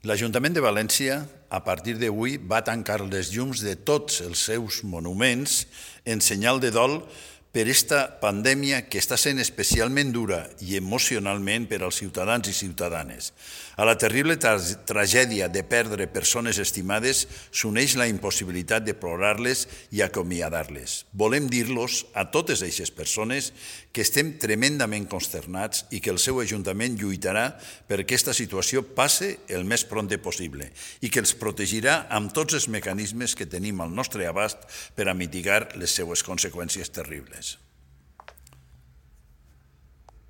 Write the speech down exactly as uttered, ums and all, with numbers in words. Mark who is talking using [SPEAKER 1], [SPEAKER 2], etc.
[SPEAKER 1] L'Ajuntament de València, a partir d'avui, va tancar les llums de tots els seus monuments en senyal de dol per aquesta pandèmia que està sent especialment dura i emocionalment per als ciutadans i ciutadanes. A la terrible tragèdia de perdre persones estimades s'uneix la impossibilitat de plorar-les i acomiadar-les. Volem dir-los a totes aquestes persones que estem tremendament consternats i que el seu Ajuntament lluitarà perquè aquesta situació passe el més prompte possible i que els protegirà amb tots els mecanismes que tenim al nostre abast per a mitigar les seues conseqüències terribles.